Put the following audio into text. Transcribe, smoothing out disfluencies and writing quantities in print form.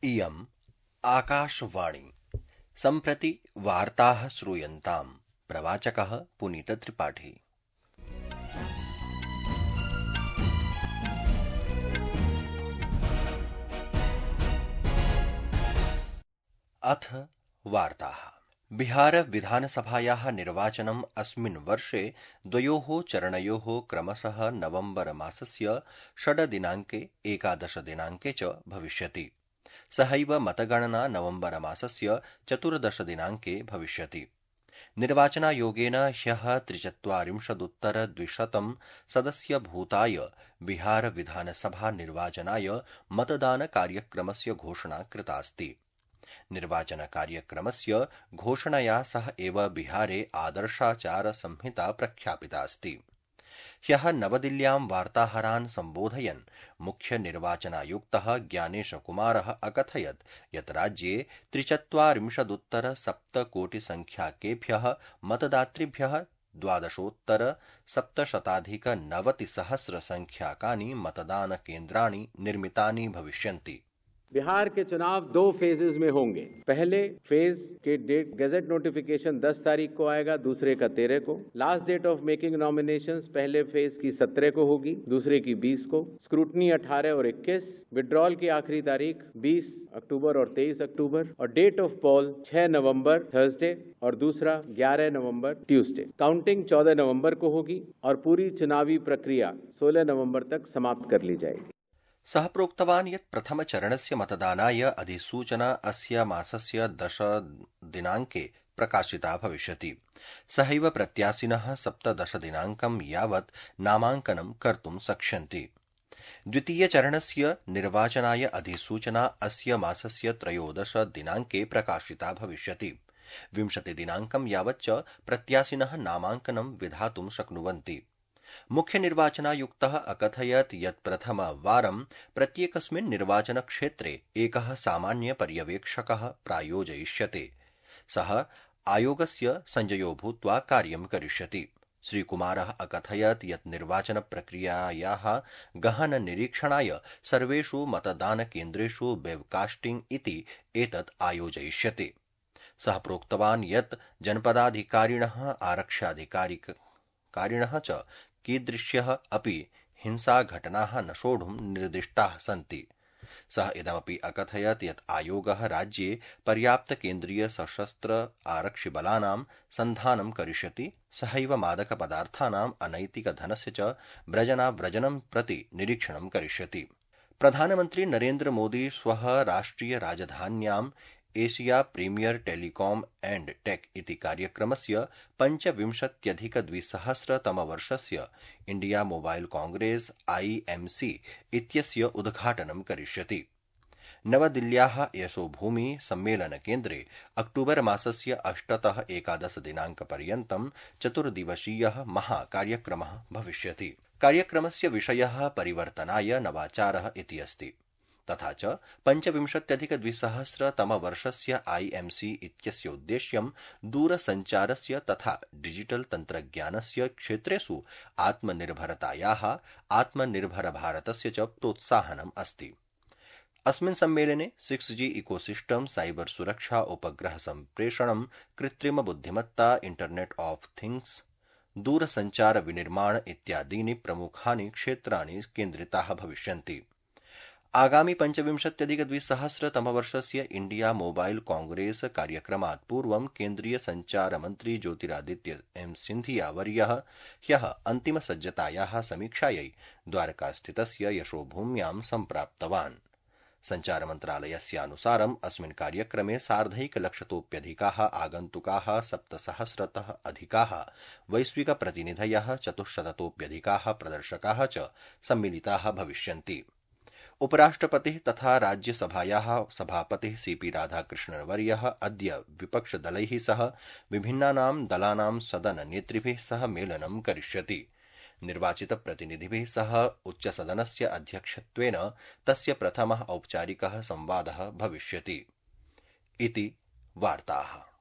इयम् आकाशवाणी। सम्प्रति वार्ताः श्रूयन्ताम्। प्रवाचकः पुनीतत्रिपाठी। अथ वार्ताः। बिहार विधानसभायाः निर्वाचनम् अस्मिन् वर्षे द्वयोः चरणयोः क्रमशः नवम्बर मासस्य 6 दिनाङ्के 11 दिनाङ्के च भविष्यति। सहैव मतगणना नवम्बर मासस्य 14 दिनाङ्के भविष्यति। निर्वाचनायोगेन ह्यः 43,200 सदस्यभूताय बिहार विधानसभा निर्वाचनाय मतदानकार्यक्रमस्य घोषणा कृतास्ति। निर्वाचनकार्यक्रमस्य घोषणया सह एव बिहारे आदर्शाचारसंहिता प्रख्यापितास्ति। ह्यः नवदिल्ल्यां वार्ताहरान् सम्बोधयन् मुख्यनिर्वाचनायुक्तः ज्ञानेशकुमारः अकथयत् यत् राज्ये 43,700,000 मतदातृभ्यः 12,790,000 मतदानकेन्द्राणि निर्मितानि भविष्यन्ति। बिहार के चुनाव 2 फेजेज में होंगे। पहले फेज के डेट गैजेट नोटिफिकेशन 10 तारीख को आएगा, दूसरे का 13 को। Last date of making nominations पहले फेज की 17 को होगी, दूसरे की 20 को। स्क्रूटनी 18 और 21। विड्रॉल की आखिरी तारीख 20 अक्टूबर और 23 अक्टूबर और date of poll 6 November Thursday और दूसरा 11 नवंबर ट्यूसडे। काउंटिंग 14 नवंबर को होगी और पूरी चुनावी प्रक्रिया 16 नवंबर तक समाप्त कर ली जाएगी। सः प्रोक्तवान् यत् प्रथमचरणस्य मतदानाय अधिसूचना अस्य मासस्य 10 दिनाङ्के प्रकाशिता भविष्यति। सहैव प्रत्याशिनः 17 दिनाङ्कं यावत् नामाङ्कनं कर्तुं शक्ष्यन्ति। द्वितीयचरणस्य निर्वाचनाय अधिसूचना अस्य मासस्य 13 दिनाङ्के प्रकाशिता भविष्यति। 20 दिनाङ्कं यावच्च प्रत्याशिनः नामाङ्कनं विधातुं शक्नुवन्ति। मुख्यनिर्वाचनायुक्तः अकथयत् यत् प्रथमवारं प्रत्येकस्मिन् निर्वाचनक्षेत्रे एकः सामान्यपर्यवेक्षकः प्रायोजयिष्यते। सः आयोगस्य संजयो भूत्वा कार्यं करिष्यति। श्रीकुमारः अकथयत् यत् निर्वाचनप्रक्रियायाः गहन निरीक्षणाय सर्वेषु मतदानकेन्द्रेषु वेबकास्टिंग इति एतत् आयोजयिष्यते। सः प्रोक्तवान् यत् जनपदाधिकारिणः आरक्षाधिकारिणः च कीदृश्यः अपि हिंसाघटनाः न सोढुं निर्दिष्टाः सन्ति। सः इदमपि अकथयत् यत् आयोगः राज्ये पर्याप्तकेन्द्रीय सशस्त्र आरक्षिबलानां सन्धानं करिष्यति। सहैव मादकपदार्थानाम् अनैतिकधनस्य च व्रजनाव्रजनं प्रति निरीक्षणं करिष्यति। प्रधानमन्त्री नरेन्द्र मोदी श्वः राष्ट्रिय राजधान्यां Asia premier telecom and tech इति कार्यक्रमस्य 25,200 इंडिया मोबाइल कांग्रेस IMC इत्यस्य उद्घाटनं करिष्यति। नवदिल्ल्याः यशोभूमि सम्मेलनकेन्द्रे अक्टूबर मासस्य 8 तः 11 दिनाङ्कपर्यन्तं 4 दिवसीयः महाकार्यक्रमः भविष्यति। कार्यक्रमस्य विषयः परिवर्तनाय नवाचारः इति अस्ति। तथा च 25,200 IMC इत्यस्य उद्देश्यं दूरसञ्चारस्य तथा डिजिटल तन्त्रज्ञानस्य क्षेत्रेषु आत्मनिर्भरतायाः आत्मनिर्भरभारतस्य च प्रोत्साहनम् अस्ति। अस्मिन् सम्मेलने 6G इकोसिस्टम, साइबर सुरक्षा, उपग्रह सम्प्रेषणं, कृत्रिम बुद्धिमत्ता, इंटरनेट ऑफ थिंग्स, दूरसञ्चार विनिर्माण इत्यादीनि प्रमुखानि क्षेत्राणि केन्द्रिताः भविष्यन्ति। आगामि 25,200 इंडिया मोबाइल कांग्रेस कार्यक्रमात् पूर्वं केन्द्रीय सञ्चारमन्त्री ज्योतिरादित्य सिन्धिया वर्यः ह्यः अन्तिमसज्जतायाः समीक्षायै द्वारकास्थितस्य यशोभूम्यां सम्प्राप्तवान्। सञ्चारमन्त्रालयस्यानुसारम् अस्मिन् कार्यक्रमे 1,50,00,000तोऽप्यधिकाः आगन्तुकाः, 7,000तः अधिकाः वैश्विकप्रतिनिधयः, 400तोऽप्यधिकाः प्रदर्शकाः च सम्मिलिताः भविष्यन्ति। उपराष्ट्रपतिः तथा राज्यसभायाः सभापतिः CP राधाकृष्णन्वर्यः अद्य विपक्षदलैः सह विभिन्नानां दलानां सदननेतृभिः सह मेलनं करिष्यति। निर्वाचितप्रतिनिधिभिः सह उच्चसदनस्य अध्यक्षत्वेन तस्य प्रथमः औपचारिकः संवादः भविष्यति। इति वार्ताः।